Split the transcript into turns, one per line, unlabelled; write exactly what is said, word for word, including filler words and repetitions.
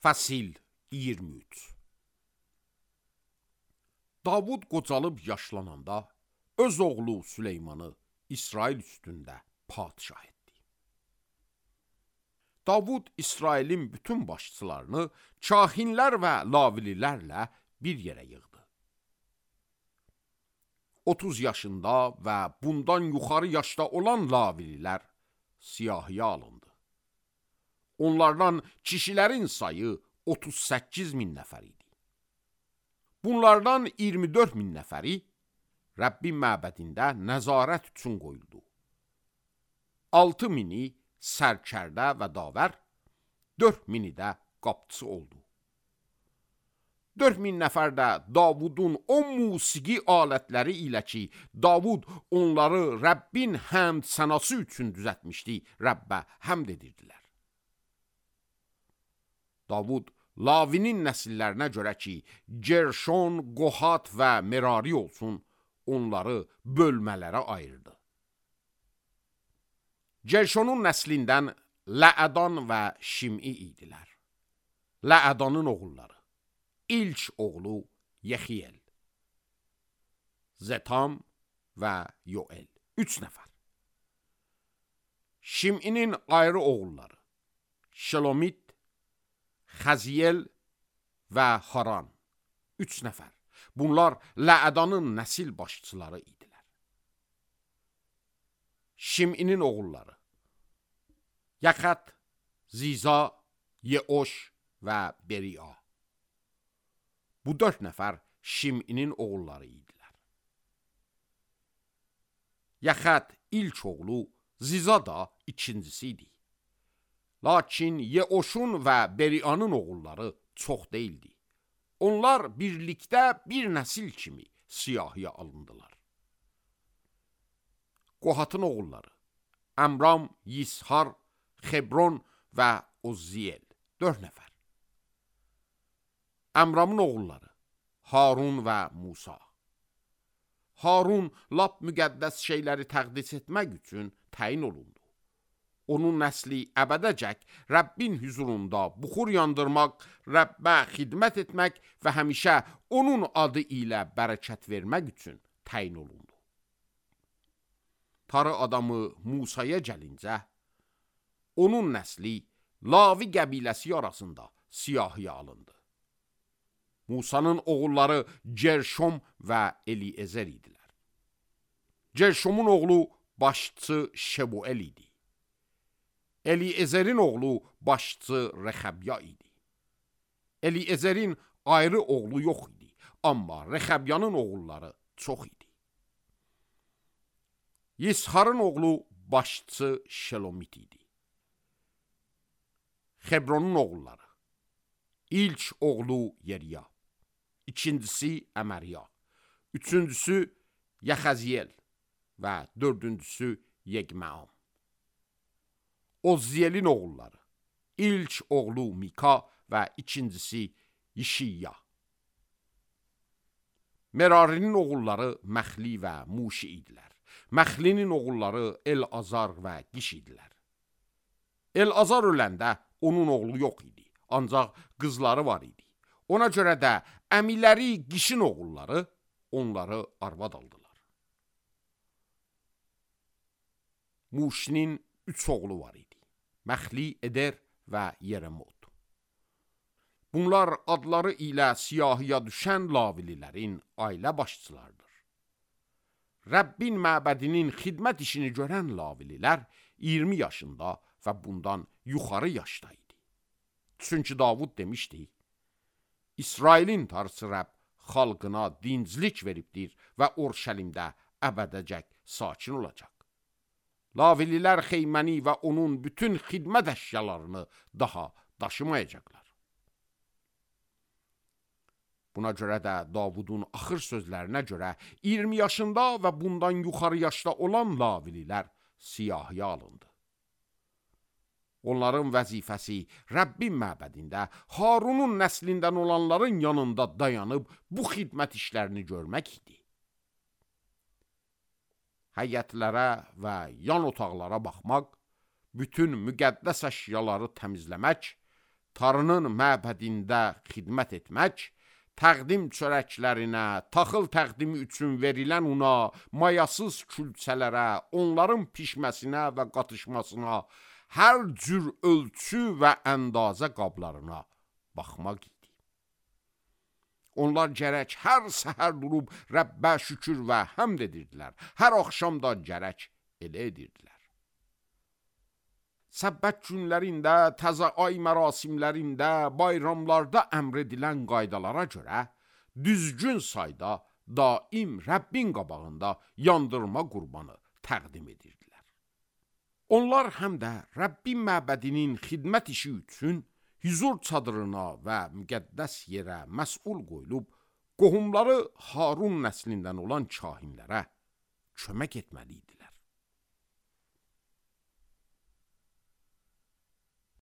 Fəsil iyirmi üç. Davud qocalıb yaşlananda öz oğlu Süleymanı İsrail üstündə padişah etdi. Davud İsrailin bütün başçılarını kahinlər və lavililərlə bir yerə yığdı. otuz yaşında və bundan yuxarı yaşda olan lavililər siyahıya alındı. Onlardan kişilərin sayı otuz səkkiz min nəfər idi. Bunlardan iyirmi dörd min nəfəri Rəbbin məbədində nəzarət üçün qoyuldu. altı mini sərkərdə və davər, dörd mini də qapçı oldu. dörd min nəfər də Davudun o musiqi alətləri ilə ki, Davud onları Rəbbin həmd sənası üçün düzətmişdi, Rəbbə həmd edirdilər. Davud Lavinin nəsillərinə görə ki, Gerşon, Qohat və Merari olsun, onları bölmələrə ayırdı. Gerşonun nəslindən Ləədan və Şim'i idilər. Ləədanın oğulları: İlk oğlu Yexiyel, Zetam və Yoel, üç nəfər. Şim'inin ayrı oğulları: Şelomit, Xəziyel və Haran, üç nəfər. Bunlar Ləədanın nəsil başçıları idilər. Şim'inin oğulları: Yaxat, Ziza, Yeoş və Beria. Bu dörd nəfər Şim'inin oğulları idilər. Yaxat ilk oğlu, Ziza da ikincisi idi. Lakin Yeoşun və Berianın oğulları çox deyildi. Onlar birlikdə bir nəsil kimi siyahıya alındılar. Qohatın oğulları: Əmram, Yishar, Xebron və Ozziyel, dörd nəfər. Əmramın oğulları: Harun və Musa. Harun lap müqəddəs şeyləri təqdis etmək üçün təyin olundu. Onun nəsli əbədəcək Rəbbin hüzurunda buxur yandırmaq, Rəbbə xidmət etmək və həmişə onun adı ilə bərəkət vermək üçün təyin olundu. Tarı adamı Musaya gəlincə, onun nəsli Lavi qəbiləsi arasında siyahıya alındı. Musanın oğulları Gerşom və Eliezer idilər. Gerşomun oğlu başçı Şebuel idi. Eliezer'in oğlu başçı Rexəbya idi. Eliezer'in ayrı oğlu yox idi, amma Rexəbyanın oğulları çox idi. Yisharın oğlu başçı Şelomit idi. Xebronun oğulları: İlk oğlu Yeriya, ikincisi Əmərya, üçüncüsü Yaxaziyel və dördüncüsü Yeqmeam. Ozziyelin oğulları: İlk oğlu Mika və ikincisi Yişiya. Merarinin oğulları Məxli və Muşi idilər. Məxlinin oğulları El-Azar və Qiş idilər. El-Azar öləndə onun oğlu yox idi, ancaq qızları var idi. Ona görə də əmiləri Qişin oğulları onları arvad aldılar. Muşinin üç oğlu var idi: Məxli, Eder və Yeremot. Bunlar adları ilə siyahıya düşən lavililərin ailə başçılarıdır. Rəbbin məbədinin xidmət işini görən lavililər iyirmi yaşında və bundan yuxarı yaşda idi. Çünki Davud demişdi: İsrailin tarısı Rəbb xalqına dinclik veribdir və Orşəlimdə əbədəcək sakin olacaq. Lavililər xeyməni və onun bütün xidmət əşyalarını daha daşımayacaqlar. Buna görə də Davudun axır sözlərinə görə iyirmi yaşında və bundan yuxarı yaşda olan lavililər siyahıya alındı. Onların vəzifəsi Rəbbin məbədində Harunun nəslindən olanların yanında dayanıb bu xidmət işlərini görmək idi. Həyətlərə və yan otaqlara baxmaq, bütün müqəddəs əşyaları təmizləmək, Tarının məbədində xidmət etmək, təqdim çörəklərinə, taxıl təqdimi üçün verilən una, mayasız külçələrə, onların pişməsinə və qatışmasına, hər cür ölçü və əndazə qablarına baxmaq idi. Onlar gərək hər səhər durub Rəbbə şükür və həmd edirdilər, hər axşam da gərək elə edirdilər. Səbbət günlərində, təzə ay mərasimlərində, bayramlarda əmr edilən qaydalara görə düzgün sayda daim Rəbbin qabağında yandırma qurbanı təqdim edirdilər. Onlar həm də Rəbbin məbədinin xidmət işi üçün hüzur çadırına və müqəddəs yerə məsul qoyulub, qohumları Harun nəslindən olan kahinlərə kömək etməli idilər.